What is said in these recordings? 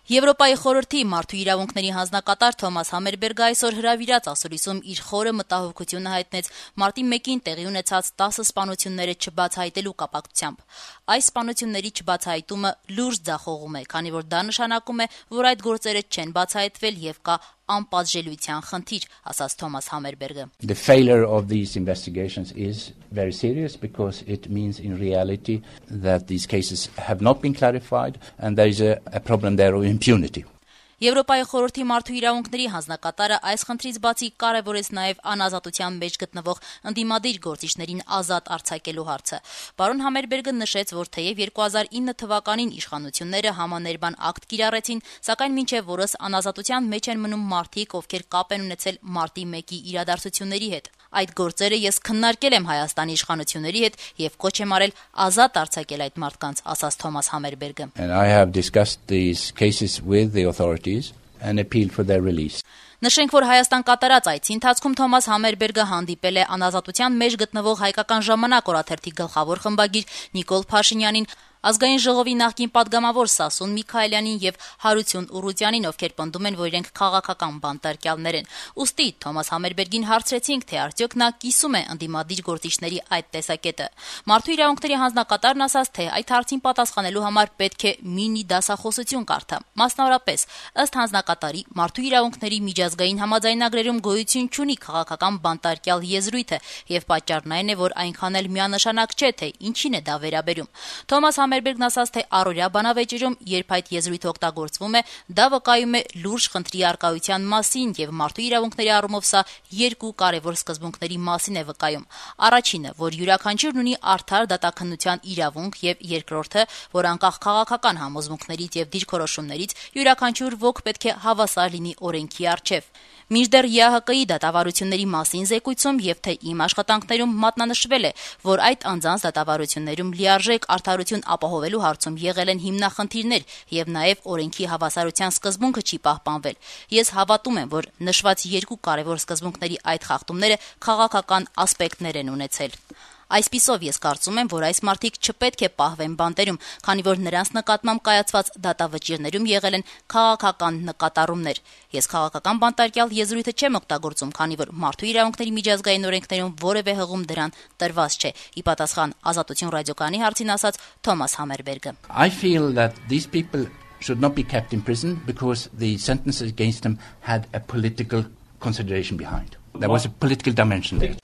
Եվրոպայի խորհրդի մարդու իրավունքների հանձնակատար Թոմաս Համերբերգը այսօր հրավիրած ասուլիսում իր խորը մտահոգությունը հայտնեց մարտի 1-ին տեղի ունեցած 10 սպանությունները չբացահայտելու կապակցությամբ։ Այս սպանությունների չբացահայտումը լուրջ ձախողում է, քանի որ դա նշանակում է, որ այդ գործերը չեն բացահայտվել եւ կա անպատժելիության խնդիր, ասաց Թոմաս Համերբերգը։ The failure of these investigations is very serious because it means in reality that these cases have not been clarified and there is a problem there of impunity. Եվրոպայի խորհրդի մարդու իրավունքների հանձնակատարը այս խնդրից բացի կարևորեց նաև անազատության մեջ գտնվող ընդդիմադիր գործիչներին ազատ արձակելու հարցը։ Պարոն Համերբերգը նշեց, որ թեև 2009 թվականին իշխանությունները համաներբան ակտ կիրառեցին, սակայն մինչև օրս անազատության մեջ են մնում մարդիկ, ովքեր կապ են ունեցել մարտի 1-ի իրադարձությունների հետ։ Այդ գործերը ես քննարկել եմ Հայաստանի իշխանությունների հետ եւ կոչ եմ արել ազատ արձակել այդ մարդկանց, ասաց Թոմաս Համերբերգը։ And I have discussed these cases with the authorities and appealed for their release. Նշենք, որ Հայաստան կատարած այցի ընթացքում Թոմաս Համերբերգը հանդիպել է անազատության մեջ գտնվող Հայկական ժամանակ օրաթերթի գլխավոր խմբագիր Նիկոլ Փաշինյանին, Ազգային ժողովի նախկին պատգամավոր Սասուն Միքայելյանին եւ Հարություն Ուռուտյանին, ովքեր պնդում են, որ իրենք քաղաքական բանտարկյալներ են։ Ուստի Թոմաս Համերբերգին հարցրեցինք, թե արդյոք նա կիսում է ընդդիմադիր գործիչների այդ տեսակետը։ Մարդու իրավունքների հանձնակատարն ասաց, թե այդ հարցին պատասխանելու համար պետք է մինի դասախոսություն կարդա։ Մասնավորապես, ըստ հանձնակատարի, մարդու իրավունքների միջազգային համաձայնագրերում գոյություն չունի քաղաքական բանտարկյալ եզրույթը եւ պատճառն այն է, որ այնքան էլ միանշանակ չէ, թե ինչին է դա վերաբերում։ Թոմաս Համերբերգն ասաց, թե առօրյա բանավեճերում, երբ այդ եզրույթը օգտագործվում է, դա վկայում է լուրջ խնդրի առկայության մասին եւ մարդու իրավունքների առումով սա երկու կարևոր սկզբունքների մասին է վկայում։ Առաջինը, որ յուրաքանչյուրն ունի արդար դատաքննության իրավունք եւ երկրորդը, որ անկախ քաղաքական համոզմունքներից եւ դիրքորոշումներից յուրաքանչյուր ոք պետք է հավասար լինի օրենքի առջեւ։ Մինչդեռ ԵԱՀԿ-ի դատավարությունների մասին զեկույցում եւ թե իմ աշխատանքներում մատնանշվել է, որ այդ անձանց դատավարություններում լիարժեք արդարություն ապահովելու հարցում եղել են հիմնախնդիրներ եւ նաեւ օրենքի հավասարության սկզբունքը չի պահպանվել։ Ես հավատում եմ, որ նշված երկու կարևոր սկզբունքների այդ խախտումները քաղաքական ասպեկտներ են ունեցել։ Այսպիսով ես կարծում եմ, որ այս մարդիկ չպետք է պահվեն բանտերում, քանի որ նրանց նկատմամբ կայացված դատավճիռներում եղել են քաղաքական նկատառումներ։ Ես քաղաքական բանտարկյալ եզրույթը չեմ օգտագործում, քանի որ մարդու իրավունքների միջազգային օրենքներում որևէ հղում դրան տրված չէ։ Ի պատասխան Ազատություն ռադիոկայանի հարցին ասաց Թոմաս Համերբերգը։ I feel that these people should not be kept in prison because the sentences against them had a political consideration behind. There was a political dimension there.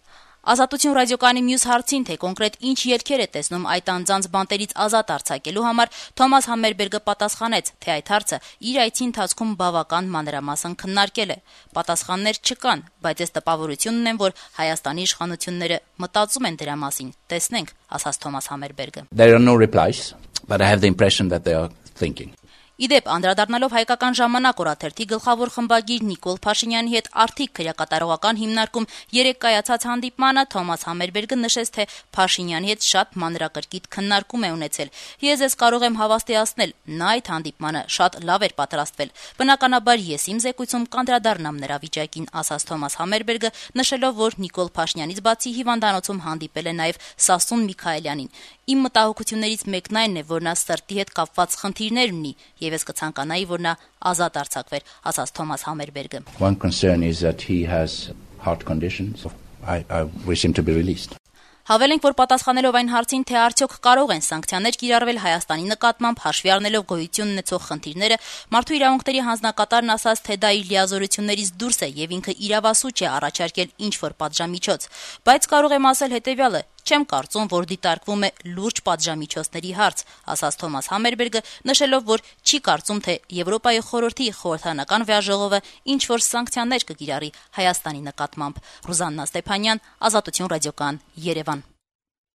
Ազատություն ռադիոկայանի մյուս հարցին, թե կոնկրետ ինչ ելքեր է տեսնում այդ անձանց բանտերից ազատ արձակելու համար, Թոմաս Համերբերգը պատասխանեց, թե այդ հարցը իր այցի ընթացքում բավական մանրամասն քննարկել է։ Պատասխաններ չկան, բայց ես տպավորություն ունեմ, որ Հայաստանի իշխանությունները մտածում են դրա մասին։ Տեսնենք, ասաց Թոմաս Համերբերգը։ There are no replies, but I have the impression that they are thinking. Իդեպ, անդրադառնալով Հայկական ժամանակ օրաթերթի գլխավոր խմբագիր Նիկոլ Փաշինյանի հետ արդիկ քրեակատարողական հիմնարկում երեկ կայացած հանդիպմանը, Թոմաս Համերբերգը նշեց, թե Փաշինյանի հետ շատ մանրակրկիտ քննարկում է ունեցել։ Ես կարող եմ հավաստիացնել, նա այդ հանդիպմանը շատ լավ էր պատրաստվել։ Բնականաբար ես իմ զեկույցում կանդրադառնամ նրա վիճակին, ասաց Թոմաս Համերբերգը, նշելով, որ Նիկոլ Փաշինյանից բացի հիվանդանոցում հանդիպել է նաև Սասուն Միքայելյանին։ Իմ մտահոգություններից մեկն այն է, որ նա սրտի հետ կապված խնդիրներ ունի, եւ ես կցանկանայի, որ նա ազատ արձակվեր, ասաց Թոմաս Համերբերգը։ One concern is that he has heart conditions. I wish him to be released. Հավելենք, որ պատասխանելով այն հարցին, թե արդյոք կարող են սանկցիաներ կիրառվել Հայաստանի նկատմամբ հաշվի առնելով գոյություն ունեցող խնդիրները, մարդու իրավունքների հանձնակատարն ասաց, թե դա իր լիազորություններից դուրս է եւ ինքը իրավասու չէ առաջարկել ինչ-որ պատժամիջոց, բայց կարող եմ ասել հետեւյալը. չեմ կարծում, որ դիտարկվում է լուրջ պատժամիջոցների հարց, ասաց Թոմաս Համերբերգը, նշելով, որ չի կարծում, թե Եվրոպայի խորհրդի խորհրդարանական վեաժողովը ինչ-որ սանկցիաներ կկիրառի Հայաստանի նկատմամբ։ Ռուզաննա Ստեփանյան, Ազատություն ռադիոկայան, Երևան։